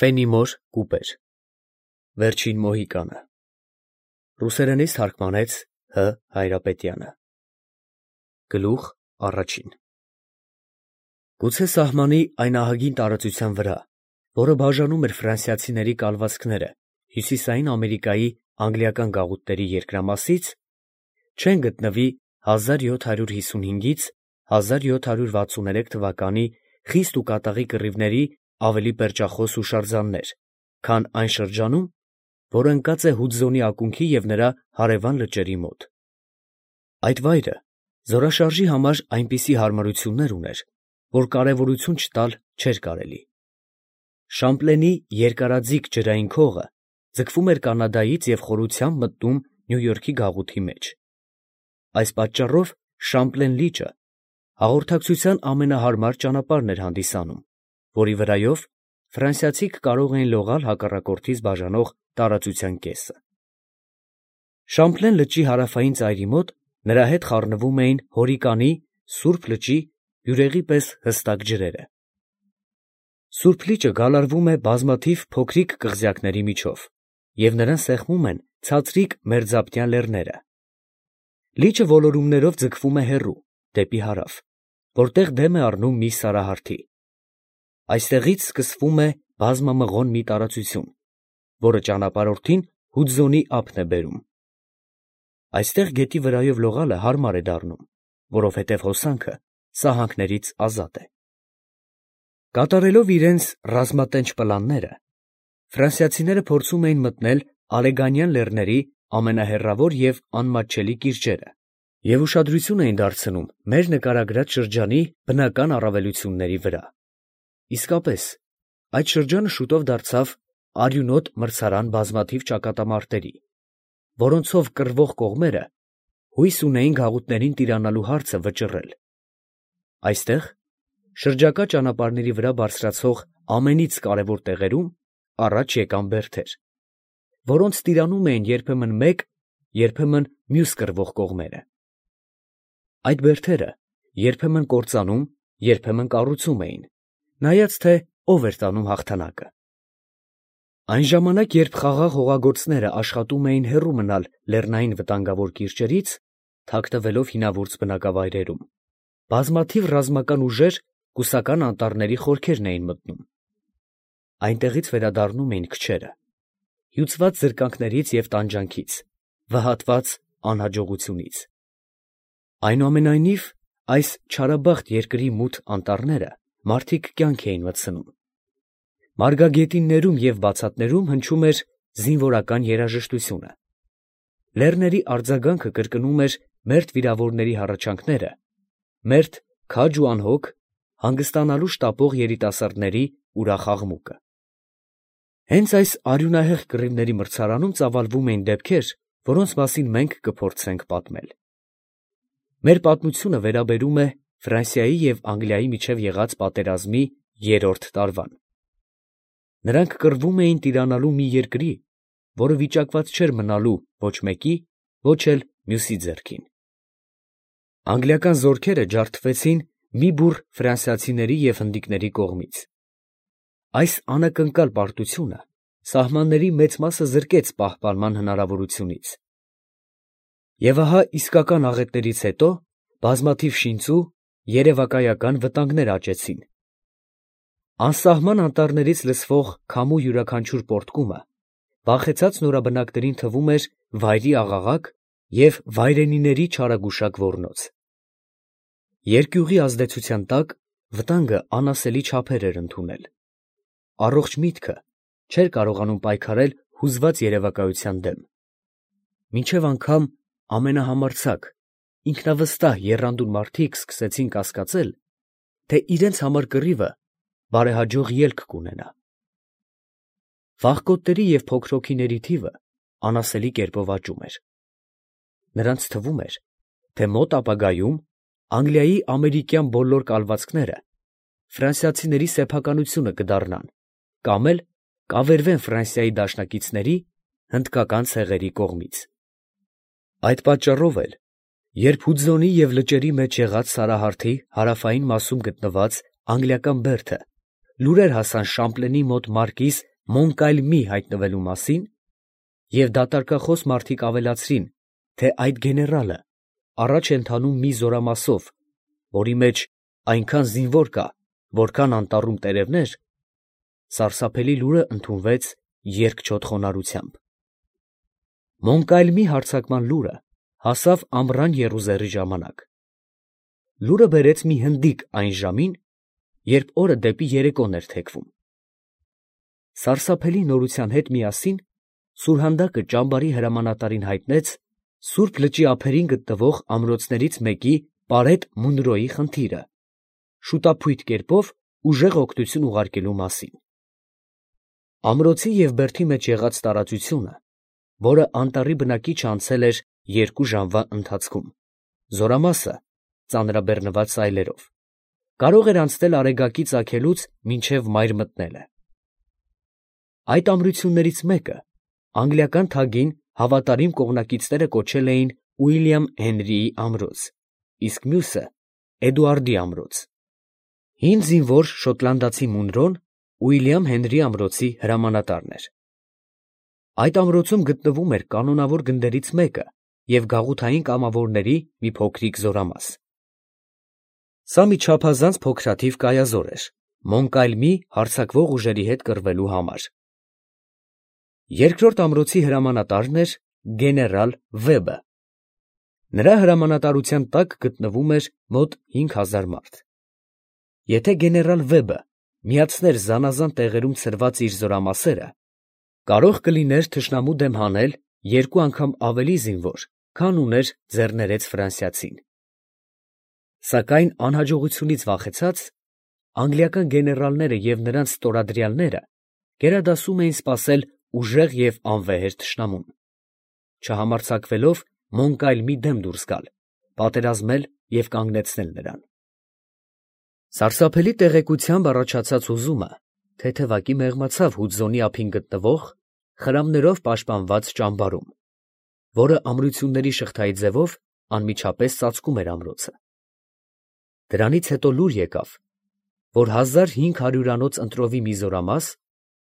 Ֆենիմոր կուպեր Վերջին մոհիկանը Ռուսերենից թարգմանեց Հ. Հայրապետյանը Գլուխ առաջին Գուցե սահմանի այն ահագին տարածության վրա, որը բաժանում էր ֆրանսիացիների կալվածքները Հյուսիսային Ամերիկայի անգլիական գաղութների երկրամասից, չեն գտնվի 1755-ից 1763 թվականի խիստ ու կատաղի կռիվների ավելի պերճախոս հուշարձաններ, քան այն շրջանում, որը ընկած է Հուդզոնի ակունքի և նրա հարևան լճերի մոտ։ Այդ վայրը զորաշարժի համար այնպիսի հարմարություններ ուներ, որ կարևորություն չտալ չէր կարելի։ Շամպլենի երկարաձիգ ջրային քողը ձգվում էր Կանադայից և խորությամբ մտնում Նյու Յորքի գաղութի մեջ։ Այս պատճառով Շամպլեն լիճը հաղորդակցության ամենահարմար ճանապարհն էր հանդիսանում, որի վրայով ֆրանսիացիք կարող էին լողալ հակառակորդից բաժանող տարածության կեսը։ Շամպլեն լճի հարավային ծայրի մոտ նրա հետ խառնվում էին Հորիկանի Սուրբ լճի բյուրեղի պես հստակ ջրերը։ Սուրբ լիճը գալարվում է բազմաթիվ փոքրիկ կղզյակների միջով, և նրան սեղմում են ցածրիկ մերձապտյան լեռները։ Լիճը ոլորումներով ձգվում է հեռու, դեպի հարավ, որտեղ դեմ է առնում մի սարահարթի։ Այստեղից սկսվում է բազմամղոն մի տարածություն, որը ճանապարհորդին Հուդզոնի ափն է բերում։ Այստեղ գետի վրայով լողալը հարմար է դառնում, որովհետև հոսանքը սահանքներից ազատ է։ Կատարելով իրենց ռազմատենչ պլանները, ֆրանսիացիները փորձում էին մտնել Ալեգանյան լեռների ամենահեռավոր և անմատչելի կիրճերը և ուշադրություն էին դարձնում մեր նկարագրած շրջանի բնական առավելությունների վրա։ Իսկապես, այդ շրջանը շուտով դարձավ արյունոտ մրցարան բազմաթիվ ճակատամարտերի, որոնցով կռվող կողմերը հույս ունեին գաղութներին տիրանալու հարցը վճռել։ Այստեղ, շրջակա ճանապարհների վրա բարձրացող ամենից կարևոր տեղերում առաջ եկան բերդեր, որոնց տիրանում էին երբեմն մեկ, երբեմն մյուս կռվող կողմերը։ Այդ բերդերը երբեմն կործանում, երբեմն կառուցում էին, նայած թե ով էր տանում հաղթանակը։ Այն ժամանակ, երբ խաղաղ հողագործները աշխատում էին հեռու մնալ լեռնային վտանգավոր կիրճերից, թաքնվելով հինավուրց բնակավայրերում, բազմաթիվ ռազմական ուժեր կուսական անտառների խորքերն էին մտնում։ Այնտեղից վերադառնում էին քչերը, հյուծված զրկանքներից և տանջանքից, վհատված անհաջողությունից։ Այնուամենայնիվ, այս չարաբախտ երկրի մութ անտառները մարդիկ կյանք էին մտցնում։ Մարգագետիններում և բացատներում հնչում էր զինվորական երաժշտությունը։ Լեռների արձագանքը կրկնում էր մերթ վիրավորների հառաչանքները, մերթ քաջ ու անհոգ, հանգստանալու շտապող երիտասարդների ուրախ աղմուկը։ Հենց այս արյունահեղ կռիվների մրցարանում ծավալվում էին դեպքեր, որոնց մասին մենք կփորձենք պատմել։ Մեր պատմությունը վերաբերում է Ֆրանսիայի և Անգլիայի միջև եղած պատերազմի 3-րդ տարվան։ Նրանք կռվում էին տիրանալու մի երկրի, որը վիճակված չէր մնալու ոչ մեկի, ոչ էլ մյուսի ձեռքին։ Անգլիական զորքերը ջարդվեցին մի բուռ ֆրանսիացիների և հնդիկների կողմից։ Այս անակնկալ պարտությունը սահմանների մեծ մասը զրկեց պահպանման հնարավորությունից։ Եվ ահա իսկական աղետներից հետո բազմաթիվ շինծու, երևակայական վտանգներ աճեցին։ Անսահման անտառներից լսվող քամու յուրաքանչյուր պոռթկումը վախեցած նորաբնակներին թվում էր վայրի աղաղակ և վայրենիների չարագուշակ ոռնոց։ Երկյուղի ազդեցության տակ վտանգը անասելի չափեր էր ընդունել։ Առողջ միտքը չէր կարողանում պայքարել հուզված երևակայության դեմ։ Մինչև անգամ ամենահամարձակ, ինքնավստահ եռանդուն մարդիկ սկսեցին կասկածել, թե իրենց համար կռիվը բարեհաջող ելք կունենա։ Վախկոտների և փոքր հոգիների թիվը անասելի կերպով աճում էր։ Նրանց թվում էր, թե մոտ ապագայում Անգլիայի ամերիկյան բոլոր կալվածքները ֆրանսիացիների սեփականությունը կդառնան կամ էլ կավերվեն Ֆրանսիայի դաշնակիցների, հնդկական ցեղերի կողմից։ Այդ պատճառով էլ, երբ Հուդզոնի և լճերի մեջ եղած սարահարթի հարավային մասում գտնված անգլիական բերդը լուրեր հասան Շամպլենի մոտ մարկիս Մոնկալմի հայտնվելու մասին և դատարկախոս մարդիկ ավելացրին, թե այդ գեներալը առաջ է ընթանում մի զորամասով, որի մեջ այնքան զինվոր կա, որքան անտառում տերևներ, սարսափելի լուրը ընդունվեց երկչոտ խոնարհությամբ։ Մոնկալմի հարձակման լուրը հասավ ամռան եռուզեռի ժամանակ։ Լուրը բերեց մի հնդիկ այն ժամին, երբ օրը դեպի երեկոն էր թեքվում։ Սարսափելի նորության հետ միասին սուրհանդակը ճամբարի հրամանատարին հայտնեց Սուրբ լճի ափերին գտնվող ամրոցներից մեկի Պարետ Մունրոյի խնդիրը, շուտափույթ կերպով ուժեղ օգնություն ուղարկելու մասին։ Ամրոցի և բերդի մեջ եղած տարածությունը, որը անտառի բնակիչը անցել էր 2 ժամվա ընթացքում, զորամասը ծանրաբեռնված սայլերով, կարող էր անցնել Արեգակի ծագելուց մինչև մայր մտնելը։ Այդ ամրություններից մեկը անգլիական թագին հավատարիմ կողմնակիցները կոչել էին Ուիլյամ Հենրիի ամրոց, իսկ մյուսը Էդուարդի ամրոց։ Հին զինվոր շոտլանդացի Մունրոն Ուիլյամ Հենրի ամրոցի հրամանատարն էր։ Այդ ամրոցում գտնվում էր կանոնավոր գնդերից մեկը և գաղութային կամավորների մի փոքրիկ զորամաս։ Սա մի չափազանց փոքրաթիվ կայազոր էր Մոնկալմի հարձակվող ուժերի հետ կռվելու համար։ Երկրորդ ամրոցի հրամանատարն էր գեներալ Վեբը։ Նրա հրամանատարության տակ գտնվում էր մոտ 5000 մարդ։ Եթե գեներալ Վեբը միացներ զանազան տեղերում ցրված իր զորամասերը, կարող կլիներ թշնամու դեմ հանել 2 անգամ ավելի զինվոր, քան ուներ ձեռներեց ֆրանսիացին։ Սակայն անհաջողությունից վախեցած, անգլիական գեներալները և նրանց ստորադրյալները գերադասում էին սպասել ուժեղ և անվեհեր թշնամուն, չհամարձակվելով Մոնկալմի դեմ դուրս գալ, պատերազմել և կանգնեցնել նրան։ Սարսափելի տեղեկությամբ առաջացած հուզումը թեթևակի մեղմացավ Հուդզոնի ափին գտնվող խրամներով պաշտպանված ճամբարում, որը ամրությունների շղթայի ձևով անմիջապես ծածկում էր ամրոցը։ Դրանից հետո լուր եկավ, որ 1500-անոց ընտրովի մի զորամաս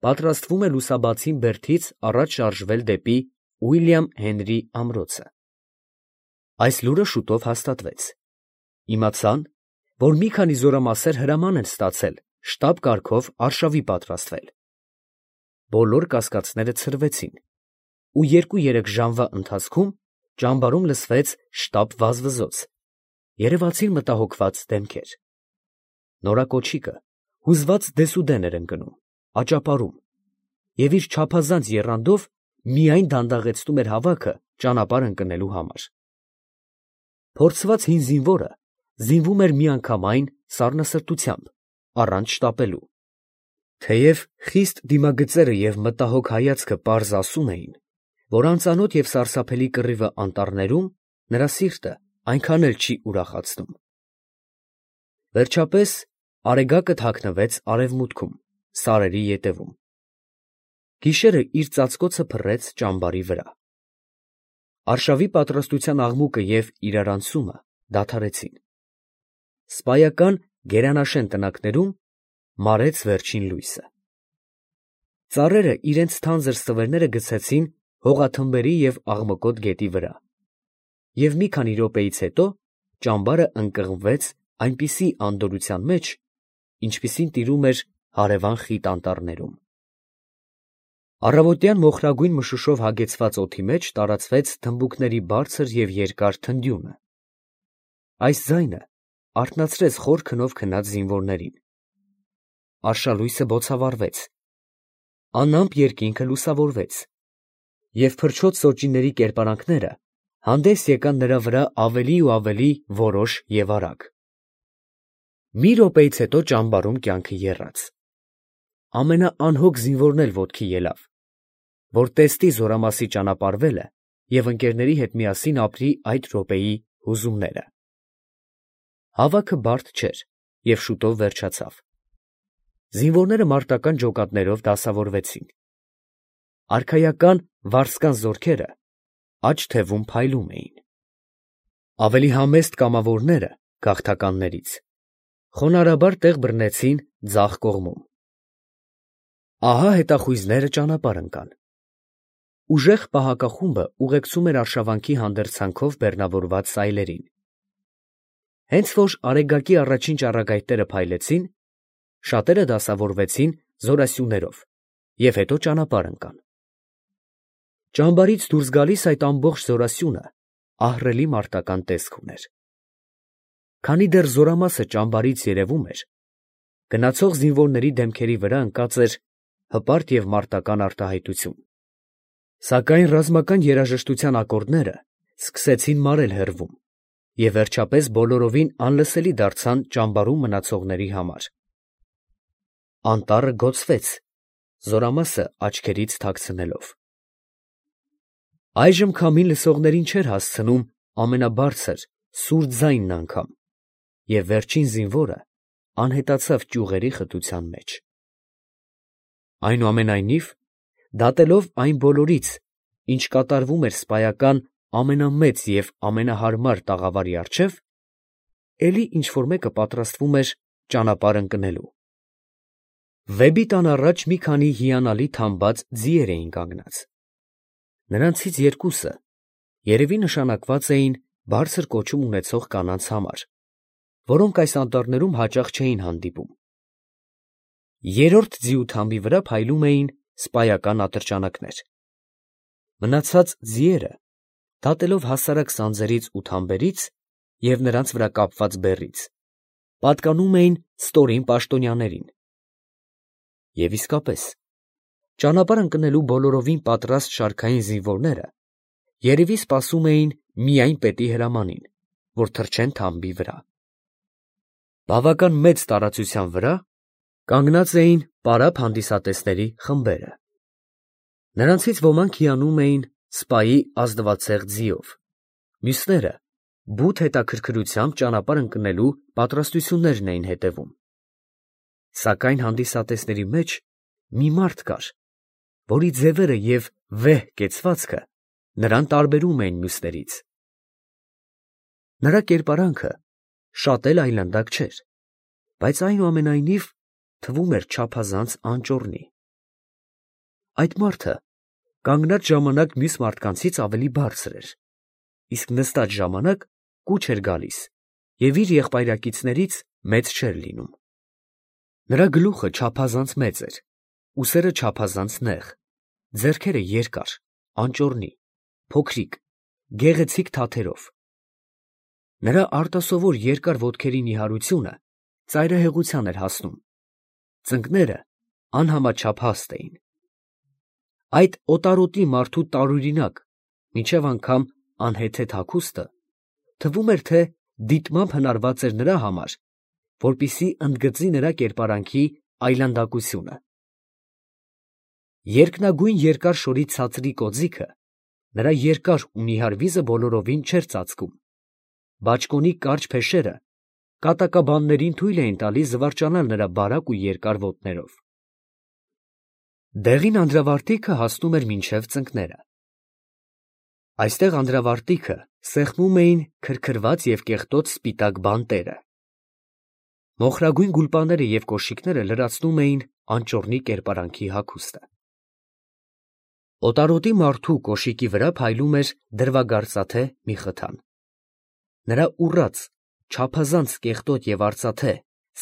պատրաստվում է լուսաբացին բերդից առաջ շարժվել դեպի Ուիլյամ Հենրի ամրոցը։ Այս լուրը շուտով հաստատվեց։ Իմացան, որ մի քանի զորամասեր հրաման են ստացել շտապ կարգով արշավի պատրաստվել։ Բոլոր կասկածները ցրվեցին, ու 2-3 ժամվա ընթացքում ճամբարում լսվեց շտապ վազվզոց, երևացին մտահոգված դեմքեր։ Նորակոչիկը հուզված դեսուդեն էր ընկնում, աճապարում, և իր չափազանց եռանդով միայն դանդաղեցնում էր հավաքը ճանապարհ ընկնելու համար։ Փորձված հին զինվորը զինվում էր միանգամայն սառնասրտությամբ, առանց շտապելու։ Թեև խիստ դիմագծերը և մտահոգ հայացքը պարզ ասում էին, որ անծանոթ և սարսափելի կռիվը անտառներում նրա սիրտը այնքան էլ չի ուրախացնում։ Վերջապես Արեգակը թաքնվեց արևմուտքում, սարերի ետևում։ Գիշերը իր ծածկոցը փռեց ճամբարի վրա։ Արշավի պատրաստության աղմուկը և իրարանցումը դադարեցին։ Սպայական գերանաշեն տնակներում մարեց վերջին լույսը։ Ծառերը իրենց թանձր ստվերները գցեցին հողաթմբերի և աղմկոտ գետի վրա, և մի քանի րոպեից հետո ճամբարը ընկղմվեց այնպիսի անդորրության մեջ, ինչպիսին տիրում էր հարևան խիտ անտառներում։ Առավոտյան մոխրագույն մշուշով հագեցված օդի մեջ տարածվեց թմբուկների բարձր և երկար թնդյունը։ Այս ձայնը արթնացրեց խոր քնով քնած զինվորներին։ Արշալույսը բոցավառվեց, անամպ երկինքը լուսավորվեց, և փրչոտ սոճիների կերպարանքները հանդես եկան նրա վրա ավելի ու ավելի որոշ և արագ։ Մի րոպեից հետո ճամբարում կյանքը եռաց։ Ամենաանհոգ զինվորն էլ ոտքի ելավ, որ տեսնի զորամասի ճանապարհվելը և ընկերների հետ միասին ապրի այդ րոպեի հուզումները։ Հավաքը բարդ չէր և շուտով վերջացավ։ Զինվորները մարտական ջոկատներով դասավորվեցին։ Արքայական վարսկան զորքերը աջ թևում փայլում էին։ Ավելի համեստ կամավորները գաղթականներից խոնարհաբար տեղ բռնեցին ձախ կողմում։ Ահա հետախույզները ճանապարհ ընկան։ Ուժեղ պահակախումբը ուղեկցում էր արշավանքի հանդերձանքով բեռնավորված սայլերին։ Հենց որ Արեգակի առաջին ճառագայթները փայլեցին, շատերը դասավորվեցին զորասյուներով և հետո ճանապարհ ընկան։ Ճամբարից դուրս գալիս այդ ամբողջ զորասյունը ահռելի մարտական տեսք ուներ։ Քանի դեռ զորամասը ճամբարից երևում էր, գնացող զինվորների դեմքերի վրա ընկած էր հպարտ և մարտական արտահայտություն։ Սակայն ռազմական երաժշտության ակորդները սկսեցին մարել հեռվում և վերջապես բոլորովին անլսելի դարձան ճամբարում մնացողների համար։ Անտառը գոծվեց, զորամասը աչքերից թաքցնելով։ Այժմ քամին լսողներին չէր հասցնում ամենաբարձր, սուր ձայնն անգամ, և վերջին զինվորը անհետացավ ճյուղերի խտության մեջ։ Այնուամենայնիվ, դատելով այն բոլորից, ինչ կատարվում էր սպայական ամենամեծ և ամենահարմար տաղավարի առջև, էլի ինչ֊որ մեկը պատրաստվում էր ճանապարհ ընկնելու։ Վեպի տան առաջ մի քանի հիանալի թամբած ձիեր էին կանգնած։ Նրանցից երկուսը երևի նշանակված էին բարձր կոչում ունեցող կանանց համար, որոնք այս անտառներում հաճախ չէին հանդիպում։ Երրորդ ձիու թամբի վրա փայլում էին սպայական ատրճանակներ։ Մնացած ձիերը, դատելով հասարակ սանձերից ու թամբերից և նրանց վրա կապված բեռից, պատկանում էին ստորին պաշտոնյաներին։ Եվ իսկապես, ճանապարհ ընկնելու բոլորովին պատրաստ շարքային զինվորները երևի սպասում էին միայն պետի հրամանին, որ թռչեն թամբի վրա։ Բավական մեծ տարածության վրա կանգնած էին պարապ հանդիսատեսների խմբերը։ Նրանցից ոմանք հիանում էին սպայի ազնվացեղ ձիով, մյուսները բութ հետաքրքրությամբ ճանապարհ ընկնելու պատրաստություններն էին հետևում։ Սակայն հանդիսատեսների մեջ մի մարդ կար, որի ձևերը և վեհ կեցվածքը նրան տարբերում էին մյուսներից։ Նրա կերպարանքը շատ էլ այլանդակ չէր, բայց այնուամենայնիվ թվում էր չափազանց անճոռնի։ Այդ մարդը կանգնած ժամանակ մյուս մարդկանցից ավելի բարձր էր, իսկ նստած ժամանակ կուչ էր գալիս և իր եղբայրակիցներից մեծ չէր լինում։ Նրա գլուխը չափազանց մեծ էր, ուսերը չափազանց նեղ, ձեռքերը երկար, անճոռնի, փոքրիկ, գեղեցիկ թաթերով։ Նրա արտասովոր երկար ոտքերի նիհարությունը ծայրահեղության էր հասնում, ծնկները անհամաչափ հաստ էին։ Այդ օտարոտի մարդու տարօրինակ, մինչև անգամ անհեթեթ հագուստը թվում էր, թե դիտմամբ հնարված էր նրա համար, որպեսզի ընդգծի նրա կերպարանքի այլանդակությունը։ Երկնագույն երկար շորի ցածրի կոծիկը նրա երկար ու նիհար վիզը բոլորովին չէր ծածկում, բաճկոնի կարճ փեշերը կատակաբաններին թույլ էին տալիս զվարճանալ նրա բարակ ու երկար ոտներով։ Դեղին անդրավարտիքը հասնում էր մինչև ծնկները։ Այստեղ անդրավարտիքը սեղմում էին քրքրված և կեղտոտ սպիտակ բանտերը։ Մոխրագույն գուլպաները և կոշիկները լրացնում էին անճոռնի կերպարանքի հագուստը։ Օտարոտի մարդու կոշիկի վրա փայլում էր դրվագարծաթե մի խթան։ Նրա ուռած, չափազանց կեղտոտ և արծաթե,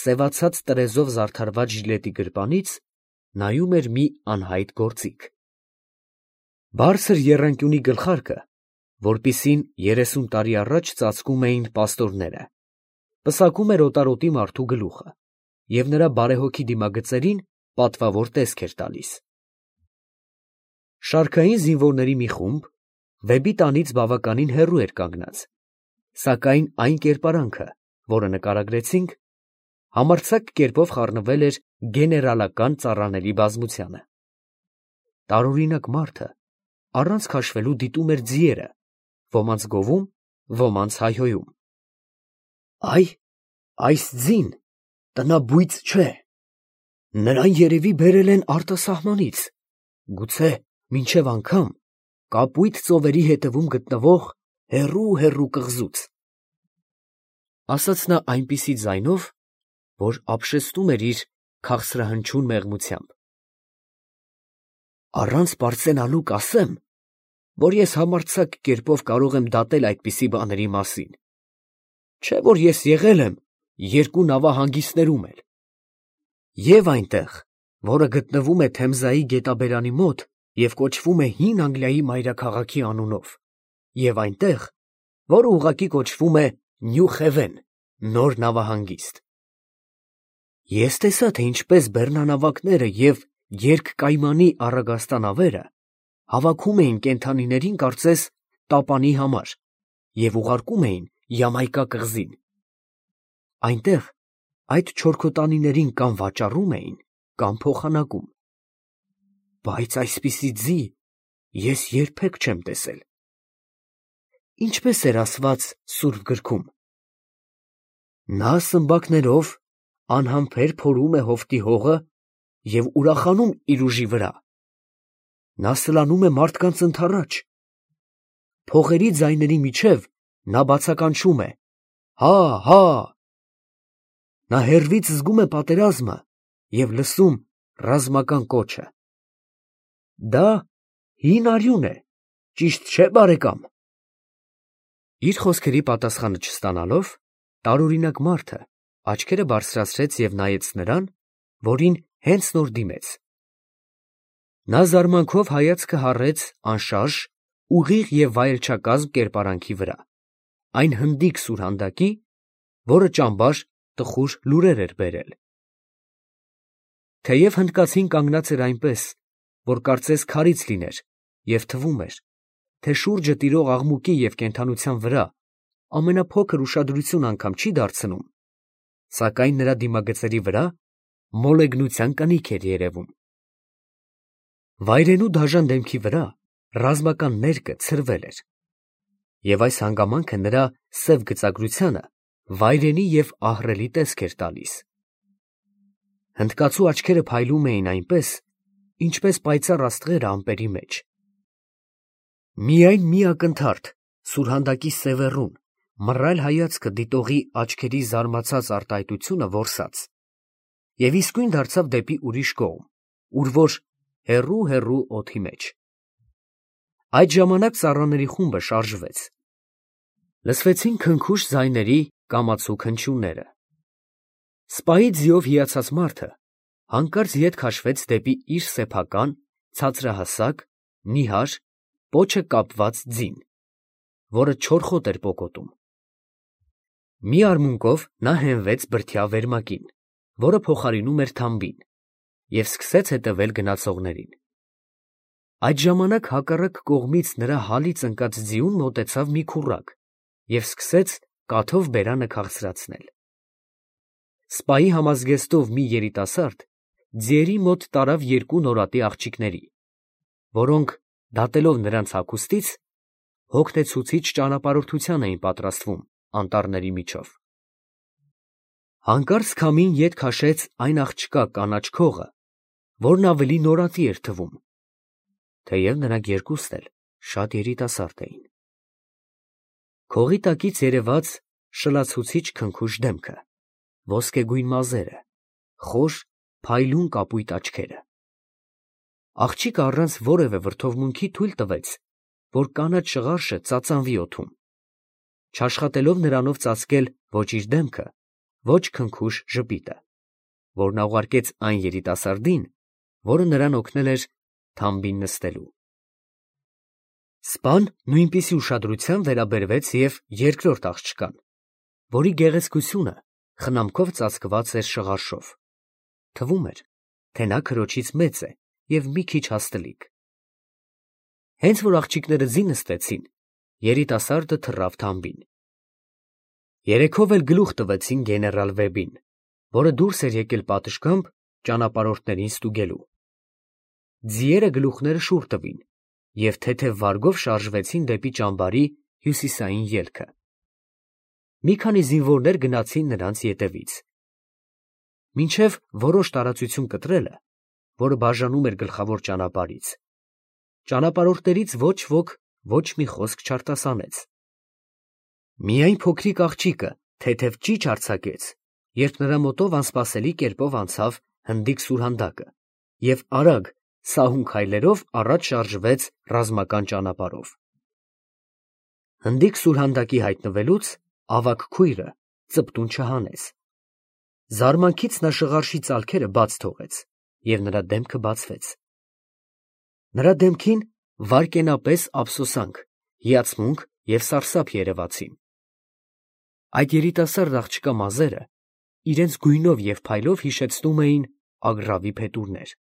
սևացած տրեզով զարդարված ժիլետի գրպանից նայում էր մի անհայտ գործիք։ Բարձր եռանկյունի գլխարկը, որպիսին 30 տարի առաջ ծածկում էին պաստորները, պսակում էր օտարոտի մարդու գլուխը և նրա բարեհոգի դիմագծերին պատվավոր տեսք էր տալիս։ Շարքային զինվորների մի խումբ վեպի տանից բավականին հեռու էր կանգնած, սակայն այն կերպարանքը, որը նկարագրեցինք, համարձակ կերպով խառնվել էր գեներալական ծառաների բազմությանը։ Տարօրինակ մարդը առանց քաշվելու դիտում էր ձիերը, ոմանց գովում, ոմանց հայհոյում։ Այս ձին տնաբույծ չէ, նրան երևի բերել են արտասահմանից, գուցե մինչև անգամ կապույտ ծովերի հետևում գտնվող հեռու կղզուց, ֊ ասաց նա այնպիսի ձայնով, որ ապշեցնում էր իր քաղցրահնչյուն մեղմությամբ։ Առանց պարծենալու կասեմ, որ ես համարձակ կերպով կարող եմ դատել այդպիսի բաների մասին, չէ որ ես եղել եմ երկու նավահանգիստներում էլ, և այնտեղ, որը գտնվում է Թեմզայի գետաբերանի մոտ և կոչվում է Հին Անգլիայի մայրաքաղաքի անունով, և այնտեղ, որը ուղղակի կոչվում է Նյու Խևեն, նոր նավահանգիստ։ Ես տեսա, թե ինչպես բեռնանավակները և երկկայմանի առագաստանավերը հավաքում էին կենդանիներին կարծես տապանի համար և ուղարկում էին Յամայկա կղզին։ Այնտեղ այդ չորքոտանիներին կամ վաճառում էին, կամ փոխանակում, բայց այսպիսի ձի ես երբեք չեմ տեսել։ Ինչպես էր ասված Սուրբ Գրքում. նա սմբակներով անհամբեր փորում է հովտի հողը և ուրախանում իր ուժի վրա, նա սլանում է մարդկանց ընդառաջ, փողերի ձայների միջև նա բացականչում է. հա, հա, նա հեռվից զգում է պատերազմը և լսում ռազմական կոչը։ Դա հին արյուն է, ճիշտ չէ՞, բարեկամ։ Իր խոսքերի պատասխանը չստանալով, տարօրինակ մարդը աչքերը բարձրացրեց և նայեց նրան, որին հենց նոր դիմեց։ Նա զարմանքով հայացքը հառեց անշարժ, ուղիղ և վայելչակազմ կերպարանքի վրա, այն հնդիկ սուրհանդակի, որը ճամբար տխուր լուրեր էր բերել։ Թեև հնդկացին կանգնած էր այնպես, որ կարծես քարից լիներ, և թվում էր, թե շուրջը տիրող աղմուկի և կենդանության վրա ամենափոքր ուշադրություն անգամ չի դարձնում, սակայն նրա դիմագծերի վրա մոլեգնության կնիք էր երևում։ Վայրենու դաժան դեմքի վրա ռազմական ներկը ցրվել էր, և այս հանգամանքը նրա սև գծագրությանը վայրենի և ահռելի տեսք էր տալիս։ Հնդկացու աչքերը փայլում էին այնպես, ինչպես պայծառ աստղերը ամպերի մեջ։ Միայն մի ակնթարթ սուրհանդակի սևեռուն, մռայլ հայացքը դիտողի աչքերի զարմացած արտահայտությունը որսաց և իսկույն դարձավ դեպի ուրիշ կողմ, ուր որ հեռու օդի մեջ։ Այդ ժամանակ ծառաների խումբը շարժվեց։ Լսվեցին քնքուշ ձայների կամացու քնչյունները։ Սպայի ձիով հիացած մարդը հանկարծ ետ քաշվեց դեպի իր սեփական, ցածրահասակ, նիհար, պոչը կապված ձին, որը չորխոտ էր պոկոտում։ Մի արմունկով նա հենվեց բրդյա վերմակին, որը փոխարինում էր թամբին, և սկսեց հետևել գնացողներին։ Այդ ժամանակ հակառակ կողմից նրա հալից ընկած ձիուն մոտեցավ մի քուռակ և սկսեց կաթով բերանը քաղցրացնել։ Սպայի համազգեստով մի երիտասարդ ձիերի մոտ տարավ երկու նորատի աղջիկների, որոնք, դատելով նրանց հագուստից, հոգնեցուցիչ ճանապարհորդության էին պատրաստվում անտառների միջով։ Հանկարծ քամին ետ քաշեց այն աղջկա կանաչ քողը, որն ավելի նորատի էր թվում, թեև նրանք երկուսն էլ շատ երիտասարդ էին։ Քողի տակից երևաց շլացուցիչ քնքուշ դեմքը, ոսկեգույն մազերը, խոր, փայլուն կապույտ աչքերը։ Աղջիկը առանց որևէ վրդովմունքի թույլ տվեց, որ կանաչ շղարշը ծածանվի օդում, չաշխատելով նրանով ծածկել ոչ իր դեմքը, ոչ քնքուշ ժպիտը, որ նա ուղարկեց այն երիտասարդին, որը նրան օգնել էր թամբին նստելու։ Սպան նույնպիսի ուշադրությամբ վերաբերվեց և երկրորդ աղջկան, որի գեղեցկությունը խնամքով ծածկված էր շղարշով, թվում էր, թե նա քրոջից մեծ է և մի քիչ հաստլիկ։ Հենց որ աղջիկները ձի նստեցին, երիտասարդը թռավ թամբին։ Երեքով էլ գլուխ տվեցին գեներալ Վեբին, որը դուրս էր եկել պատշգամբ ճանապարհորդներին ստուգելու։ Ձիերը գլուխները շուռ տվին և թեթև վարգով շարժվեցին դեպի ճամբարի հյուսիսային ելքը։ Մի քանի զինվորներ գնացին նրանց ետևից։ Մինչև որոշ տարածություն կտրելը, որը բաժանում էր գլխավոր ճանապարհից, ճանապարհորդներից ոչ ոք ոչ մի խոսք չարտասանեց։ Միայն փոքրիկ աղջիկը թեթև ճիչ արձակեց, երբ նրա մոտով անսպասելի կերպով անցավ հնդիկ սուրհանդակը և արագ, սահուն քայլերով առաջ շարժվեց ռազմական ճանապարհով։ Հնդիկ սուրհանդակի հայտնվելուց ավագ քույրը ծպտուն չհանեց։ Զարմանքից նա շղարշի ծալքերը բաց թողեց, և նրա դեմքը բացվեց։ Նրա դեմքին վայրկենապես ափսոսանք, հիացմունք և սարսափ երևացին։ Այդ երիտասարդ աղջկա մազերը իրենց գույնով և փայլով հիշեցնում էին ագռավի փետուրներ։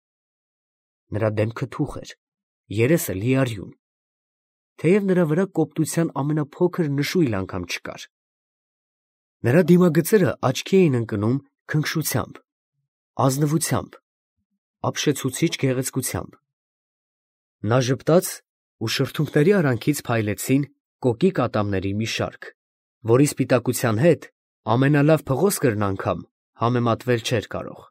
Նրա դեմքը թուխ էր, երեսը լիարյուն, թեև նրա վրա կոպտության ամենափոքր նշույլ անգամ չկար։ Նրա դիմագծերը աչքի էին ընկնում քնքշությամբ, ազնվությամբ, ապշեցուցիչ գեղեցկությամբ։ Նա ժպտաց, ու շրթունքների արանքից փայլեցին կոկիկ ատամների մի շարք, որի սպիտակության հետ ամենալավ փղոսկրն անգամ համեմատվել չէր կարող։